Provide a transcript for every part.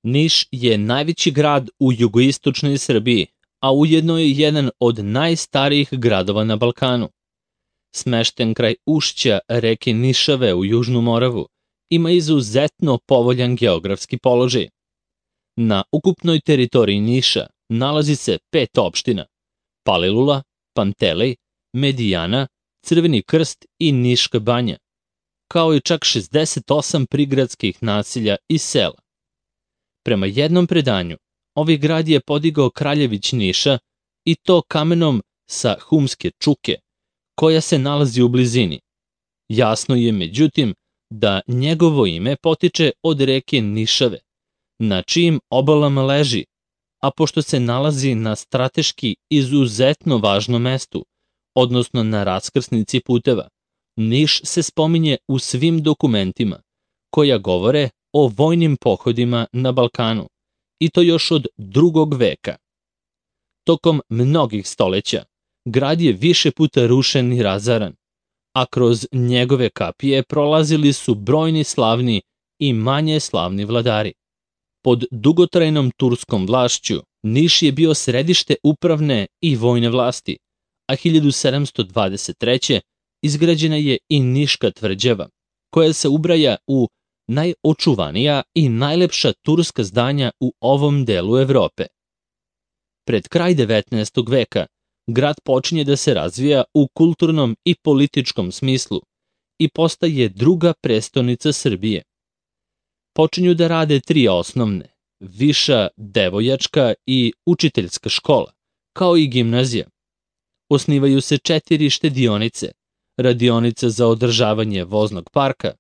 Niš je najveći grad u jugoistočnoj Srbiji, a ujedno je jedan od najstarijih gradova na Balkanu. Smešten kraj ušća reke Nišave u Južnu Moravu, ima izuzetno povoljan geografski položaj. Na ukupnoj teritoriji Niša nalazi se 5 opština: Palilula, Pantelej, Medijana, Crveni Krst i Niška banja, kao i čak 68 prigradskih naselja i sela. Prema jednom predanju, ovaj grad je podigao kraljević Niša, i to kamenom sa Humske čuke, koja se nalazi u blizini. Jasno je, međutim, da njegovo ime potiče od reke Nišave, na čijim obalama leži, a pošto se nalazi na strateški izuzetno važnom mestu, odnosno na raskrsnici puteva, Niš se spominje u svim dokumentima koja govore o vojnim pohodima na Balkanu, i to još od 2. veka. Tokom mnogih stoleća, grad je više puta rušen i razaran, a kroz njegove kapije prolazili su brojni slavni i manje slavni vladari. Pod dugotrajnom turskom vlašću Niš je bio središte upravne i vojne vlasti, a 1723. izgrađena je i Niška tvrđava, koja se ubraja u najočuvanija i najlepša turska zdanja u ovom delu Evrope. Pred kraj 19. veka grad počinje da se razvija u kulturnom i političkom smislu i postaje druga prestonica Srbije. Počinju da rade 3 osnovne, viša devojačka i učiteljska škola, kao i gimnazija. Osnivaju se 4 štedionice, radionica za održavanje voznog parka,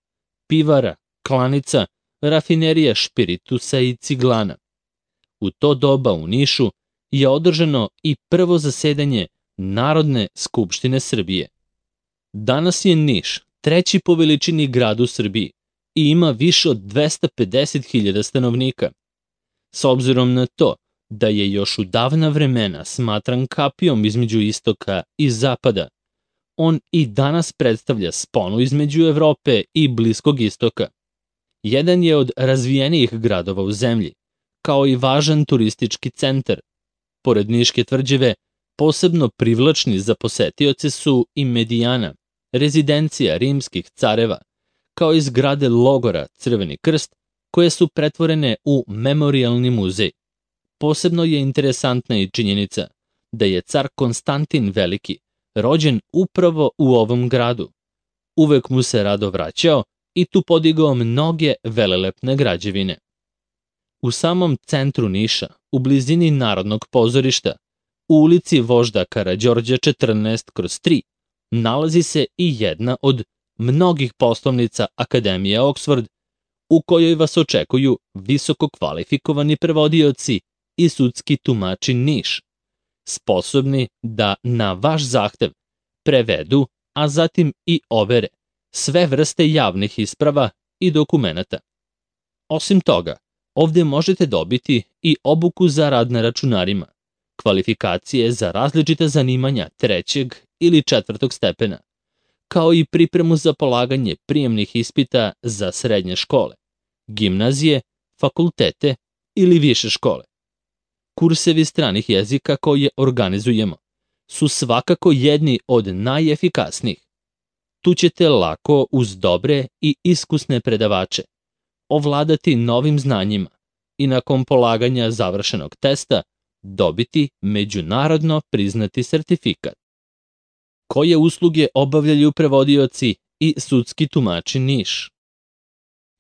pivara, klanica, rafinerija špiritusa i ciglana. U to doba u Nišu je održano i prvo zasedanje Narodne skupštine Srbije. Danas je Niš 3. po veličini grad u Srbiji i ima više od 250.000 stanovnika. S obzirom na to da je još u davna vremena smatran kapijom između istoka i zapada, on i danas predstavlja sponu između Evrope i Bliskog istoka. Jedan je od razvijenijih gradova u zemlji, kao i važan turistički centar. Pored Niške tvrđave, posebno privlačni za posetioce su i Medijana, rezidencija rimskih careva, kao i zgrade logora Crveni Krst, koje su pretvorene u memorijalni muzej. Posebno je interesantna i činjenica da je car Konstantin Veliki rođen upravo u ovom gradu. Uvek mu se rado vraćao i tu podigao mnoge velelepne građevine. U samom centru Niša, u blizini Narodnog pozorišta, u ulici Vožda Karađorđa 14/3, nalazi se i jedna od mnogih poslovnica Akademije Oxford, u kojoj vas očekuju visoko kvalifikovani prevodioci i sudski tumači Niš, sposobni da na vaš zahtev prevedu, a zatim i overe sve vrste javnih isprava i dokumenata. Osim toga, ovde možete dobiti i obuku za rad na računarima, kvalifikacije za različita zanimanja 3. ili 4. stepena, kao i pripremu za polaganje prijemnih ispita za srednje škole, gimnazije, fakultete ili više škole. Kursevi stranih jezika koje organizujemo su svakako jedni od najefikasnijih. Tu ćete lako, uz dobre i iskusne predavače, ovladati novim znanjima i nakon polaganja završenog testa dobiti međunarodno priznati sertifikat. Koje usluge obavljaju prevodioci i sudski tumači Niš?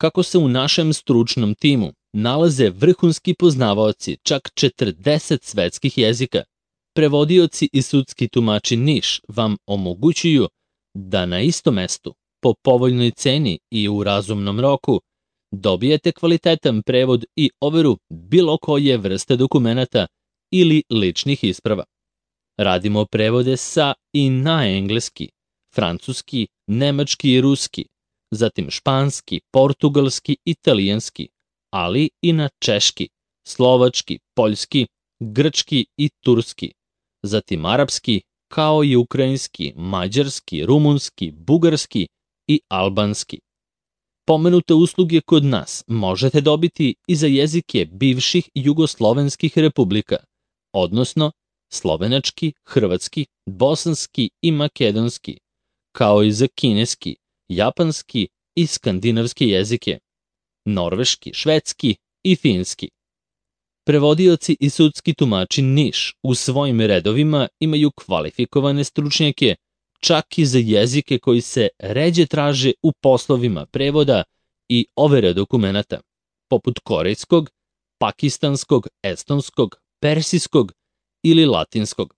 Kako se u našem stručnom timu nalaze vrhunski poznavaoci čak 40 svetskih jezika, prevodioci i sudski tumači Niš vam omogućuju da na istom mestu, po povoljnoj ceni i u razumnom roku, dobijete kvalitetan prevod i overu bilo koje vrste dokumenata ili ličnih isprava. Radimo prevode sa i na engleski, francuski, nemački i ruski, zatim španski, portugalski, italijanski, ali i na češki, slovački, poljski, grčki i turski, zatim arapski, kao i ukrajinski, mađarski, rumunski, bugarski i albanski. Pomenute usluge kod nas možete dobiti i za jezike bivših jugoslovenskih republika, odnosno slovenački, hrvatski, bosanski i makedonski, kao i za kineski, japanski i skandinavski jezike, norveški, švedski i finski. Prevodioci i sudski tumači Niš u svojim redovima imaju kvalifikovane stručnjake čak i za jezike koji se ređe traže u poslovima prevoda i overe dokumenata, poput korejskog, pakistanskog, estonskog, persijskog ili latinskog.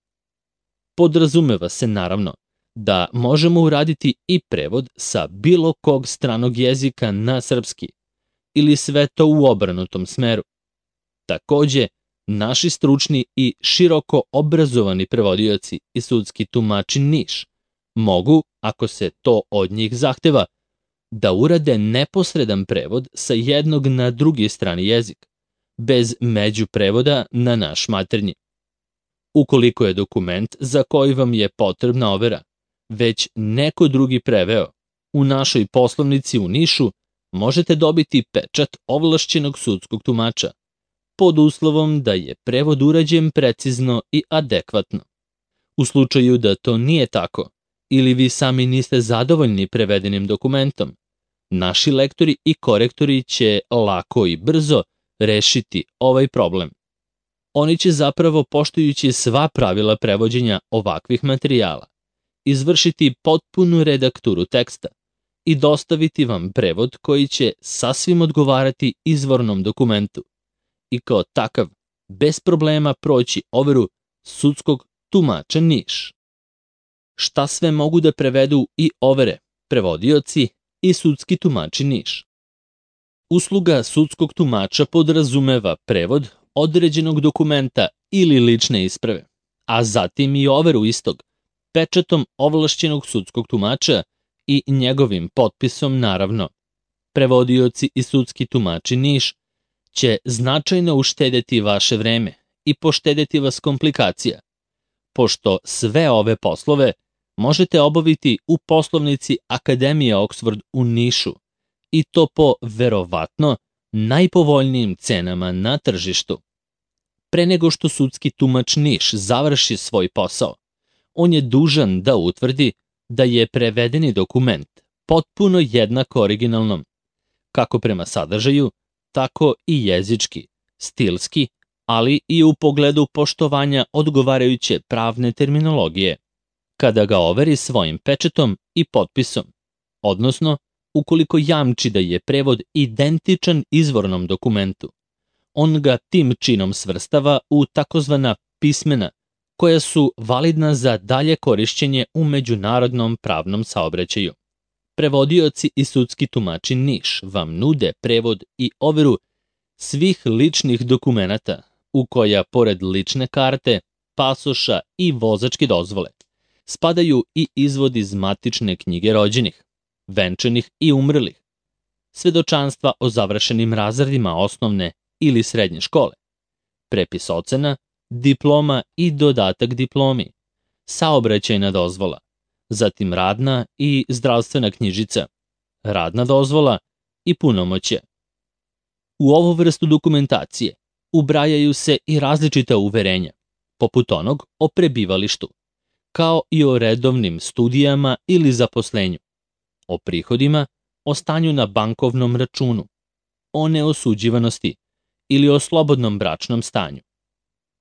Podrazumeva se naravno da možemo uraditi i prevod sa bilo kog stranog jezika na srpski ili sve to u obrnutom smeru. Takođe, naši stručni i široko obrazovani prevodioci i sudski tumači Niš mogu, ako se to od njih zahteva, da urade neposredan prevod sa jednog na drugi strani jezik, bez međuprevoda na naš maternji. Ukoliko je dokument za koji vam je potrebna overa već neko drugi preveo, u našoj poslovnici u Nišu možete dobiti pečat ovlašćenog sudskog tumača, pod uslovom da je prevod urađen precizno i adekvatno. U slučaju da to nije tako, ili vi sami niste zadovoljni prevedenim dokumentom, naši lektori i korektori će lako i brzo rešiti ovaj problem. Oni će zapravo, poštujući sva pravila prevođenja ovakvih materijala, izvršiti potpunu redakturu teksta i dostaviti vam prevod koji će sasvim odgovarati izvornom dokumentu i kao takav bez problema proći overu sudskog tumača Niš. Šta sve mogu da prevedu i overe prevodioci i sudski tumači Niš? Usluga sudskog tumača podrazumeva prevod određenog dokumenta ili lične isprave, a zatim i overu istog, pečatom ovlašćenog sudskog tumača i njegovim potpisom naravno. Prevodioci i sudski tumači Niš će značajno uštedeti vaše vreme i poštedeti vas komplikacija, pošto sve ove poslove možete obaviti u poslovnici Akademije Oxford u Nišu i to po verovatno najpovoljnijim cenama na tržištu. Pre nego što sudski tumač Niš završi svoj posao, on je dužan da utvrdi da je prevedeni dokument potpuno jednak originalnom, kako prema sadržaju, tako i jezički, stilski, ali i u pogledu poštovanja odgovarajuće pravne terminologije, kada ga overi svojim pečatom i potpisom, odnosno ukoliko jamči da je prevod identičan izvornom dokumentu. On ga tim činom svrstava u takozvana pismena, koja su validna za dalje korišćenje u međunarodnom pravnom saobraćaju. Prevodioci i sudski tumači Niš vam nude prevod i overu svih ličnih dokumenata u koja, pored lične karte, pasoša i vozačke dozvole, spadaju i izvod iz matične knjige rođenih, venčanih i umrlih, svedočanstva o završenim razredima osnovne ili srednje škole, prepis ocena, diploma i dodatak diplomi, saobraćajna dozvola, zatim radna i zdravstvena knjižica, radna dozvola i punomoćje. U ovu vrstu dokumentacije ubrajaju se i različita uverenja, poput onog o prebivalištu, kao i o redovnim studijama ili zaposlenju, o prihodima, o stanju na bankovnom računu, o neosuđivanosti ili o slobodnom bračnom stanju.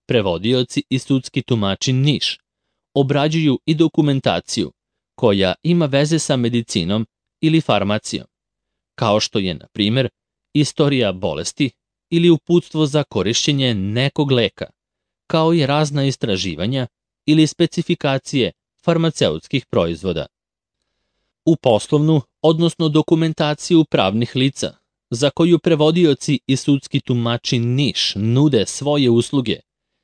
Prevodioci i sudski tumači Niš obrađuju i dokumentaciju koja ima veze sa medicinom ili farmacijom, kao što je, na primer, istorija bolesti ili uputstvo za korišćenje nekog leka, kao i razna istraživanja ili specifikacije farmaceutskih proizvoda. U poslovnu, odnosno dokumentaciju pravnih lica, za koju prevodioci i sudski tumači Niš nude svoje usluge,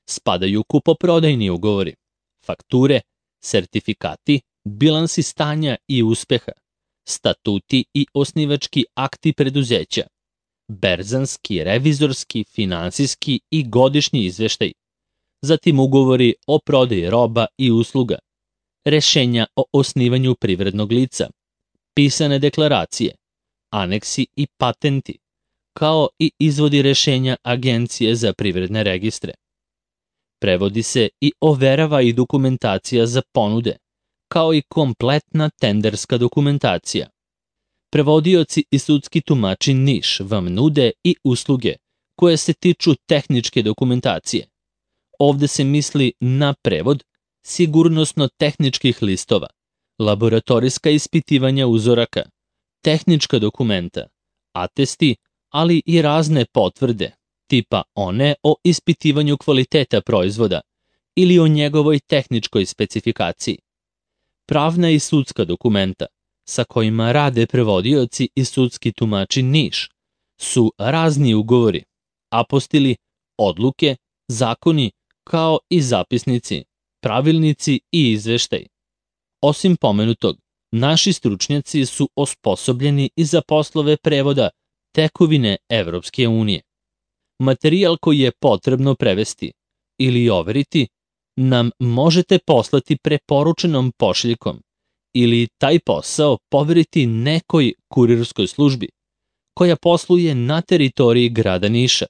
spadaju kupoprodajni ugovori, fakture, sertifikati, bilansi stanja i uspeha, statuti i osnivački akti preduzeća, berzanski, revizorski, finansijski i godišnji izveštaj, zatim ugovori o prodaji roba i usluga, rešenja o osnivanju privrednog lica, pisane deklaracije, aneksi i patenti, kao i izvodi rešenja Agencije za privredne registre. Prevodi se i overava i dokumentacija za ponude, kao i kompletna tenderska dokumentacija. Prevodioci i sudski tumači Niš vam nude i usluge koje se tiču tehničke dokumentacije. Ovde se misli na prevod sigurnosno-tehničkih listova, laboratorijska ispitivanja uzoraka, tehnička dokumenta, atesti, ali i razne potvrde, tipa one o ispitivanju kvaliteta proizvoda ili o njegovoj tehničkoj specifikaciji. Pravna i sudska dokumenta, sa kojima rade prevodioci i sudski tumači Niš, su razni ugovori, apostili, odluke, zakoni, kao i zapisnici, pravilnici i izveštaj. Osim pomenutog, naši stručnjaci su osposobljeni i za poslove prevoda tekovine Evropske unije. Materijal koji je potrebno prevesti ili overiti nam možete poslati preporučenom pošiljkom ili taj posao poveriti nekoj kurirskoj službi koja posluje na teritoriji grada Niša.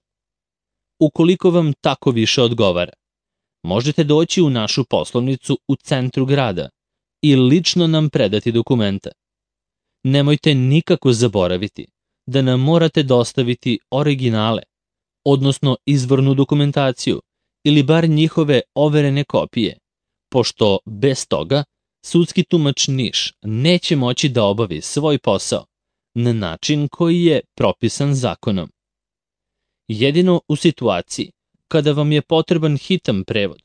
Ukoliko vam tako više odgovara, možete doći u našu poslovnicu u centru grada i lično nam predati dokumenta. Nemojte nikako zaboraviti da nam morate dostaviti originale, odnosno izvornu dokumentaciju ili bar njihove overene kopije, pošto bez toga sudski tumač Niš neće moći da obavi svoj posao na način koji je propisan zakonom. Jedino u situaciji kada vam je potreban hitan prevod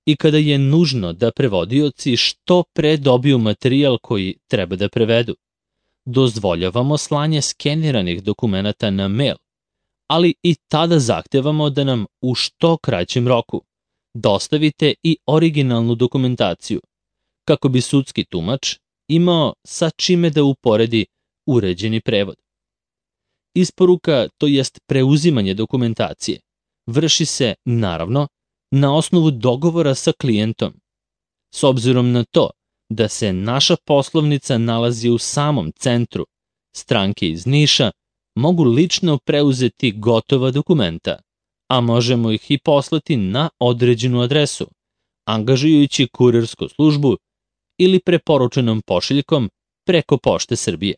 i kada je nužno da prevodioci što pre dobiju materijal koji treba da prevedu, dozvoljavamo slanje skeniranih dokumenata na mail, ali i tada zahtevamo da nam u što kraćem roku dostavite i originalnu dokumentaciju, kako bi sudski tumač imao sa čime da uporedi uređeni prevod. Isporuka, to jest preuzimanje dokumentacije, vrši se, naravno, na osnovu dogovora sa klijentom. S obzirom na to da se naša poslovnica nalazi u samom centru, stranke iz Niša mogu lično preuzeti gotova dokumenta, a možemo ih i poslati na određenu adresu, angažujući kurirsku službu ili preporučenom pošiljkom preko Pošte Srbije.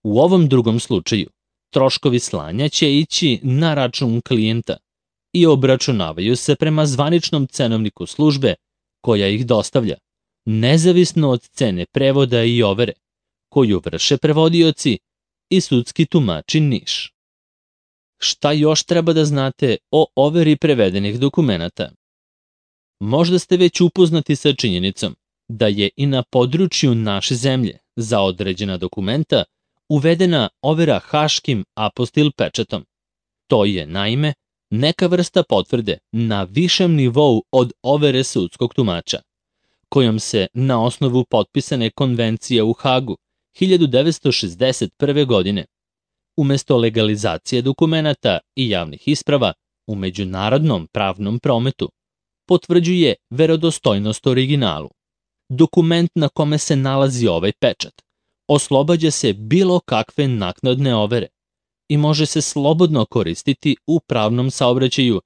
U ovom drugom slučaju, troškovi slanja će ići na račun klijenta i obračunavaju se prema zvaničnom cenovniku službe koja ih dostavlja, nezavisno od cene prevoda i overe, koju vrše prevodioci i sudski tumači Niš. Šta još treba da znate o overi prevedenih dokumenata? Možda ste već upoznati sa činjenicom da je i na području naše zemlje za određena dokumenta uvedena overa haškim apostil pečatom. To je, naime, neka vrsta potvrde na višem nivou od overe sudskog tumača, kojom se na osnovu potpisane konvencije u Hagu 1961. godine, umesto legalizacije dokumenata i javnih isprava u međunarodnom pravnom prometu, potvrđuje verodostojnost originalu. Dokument na kome se nalazi ovaj pečat oslobađa se bilo kakve naknadne overe i može se slobodno koristiti u pravnom saobraćaju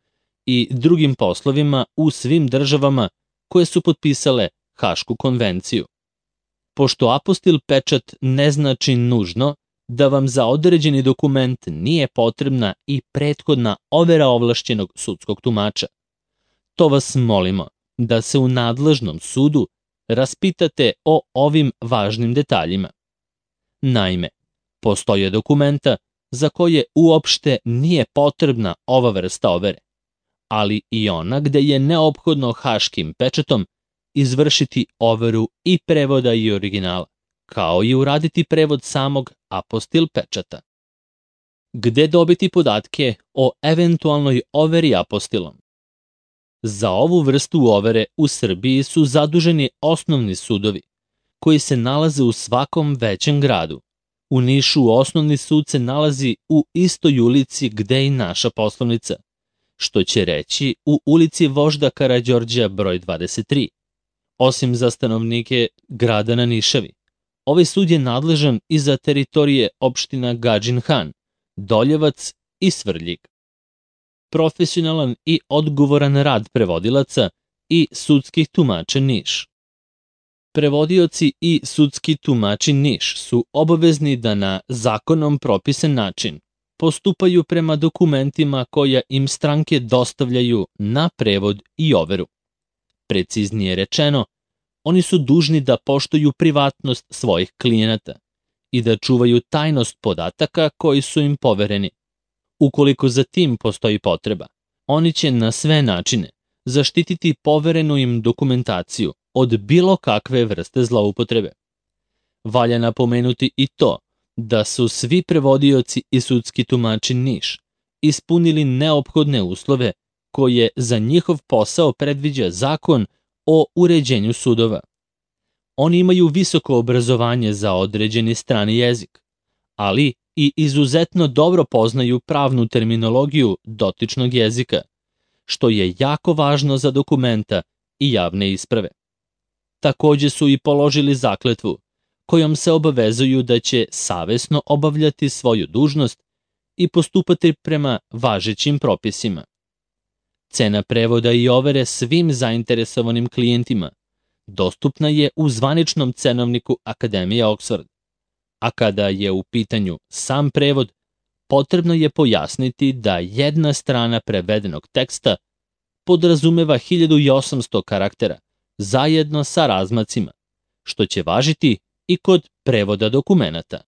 i drugim poslovima u svim državama koje su potpisale Hašku konvenciju. Pošto apostil pečat ne znači nužno da vam za određeni dokument nije potrebna i prethodna overa ovlašćenog sudskog tumača, to vas molimo da se u nadležnom sudu raspitate o ovim važnim detaljima. Naime, postoje dokumenta za koje uopšte nije potrebna ova vrsta overe, ali i ona gde je neophodno haškim pečatom izvršiti overu i prevoda i originala, kao i uraditi prevod samog apostil pečata. Gde dobiti podatke o eventualnoj overi apostilom? Za ovu vrstu overe u Srbiji su zaduženi osnovni sudovi, koji se nalaze u svakom većem gradu. U Nišu osnovni sud se nalazi u istoj ulici gde i naša poslovnica, što će reći u ulici Vožda Karađorđa broj 23, osim za stanovnike grada na Nišavi. Ovaj sud je nadležan i za teritorije opština Gadžin Han, Doljevac i Svrljig. Profesionalan i odgovoran rad prevodilaca i sudskih tumača Niš. Prevodioci i sudski tumači Niš su obavezni da na zakonom propisan način postupaju prema dokumentima koja im stranke dostavljaju na prevod i overu. Preciznije rečeno, oni su dužni da poštuju privatnost svojih klijenata i da čuvaju tajnost podataka koji su im povereni. Ukoliko za tim postoji potreba, oni će na sve načine zaštititi poverenu im dokumentaciju od bilo kakve vrste zloupotrebe. Valja napomenuti i to da su svi prevodioci i sudski tumači Niš ispunili neophodne uslove koje za njihov posao predviđa Zakon o uređenju sudova. Oni imaju visoko obrazovanje za određeni strani jezik, ali i izuzetno dobro poznaju pravnu terminologiju dotičnog jezika, što je jako važno za dokumenta i javne isprave. Takođe su i položili zakletvu, kojom se obavezuju da će savesno obavljati svoju dužnost i postupati prema važećim propisima. Cena prevoda i overe svim zainteresovanim klijentima dostupna je u zvaničnom cenovniku Akademije Oxford, a kada je u pitanju sam prevod, potrebno je pojasniti da jedna strana prevedenog teksta podrazumeva 1800 karaktera zajedno sa razmacima, što će važiti i kod prevoda dokumenata.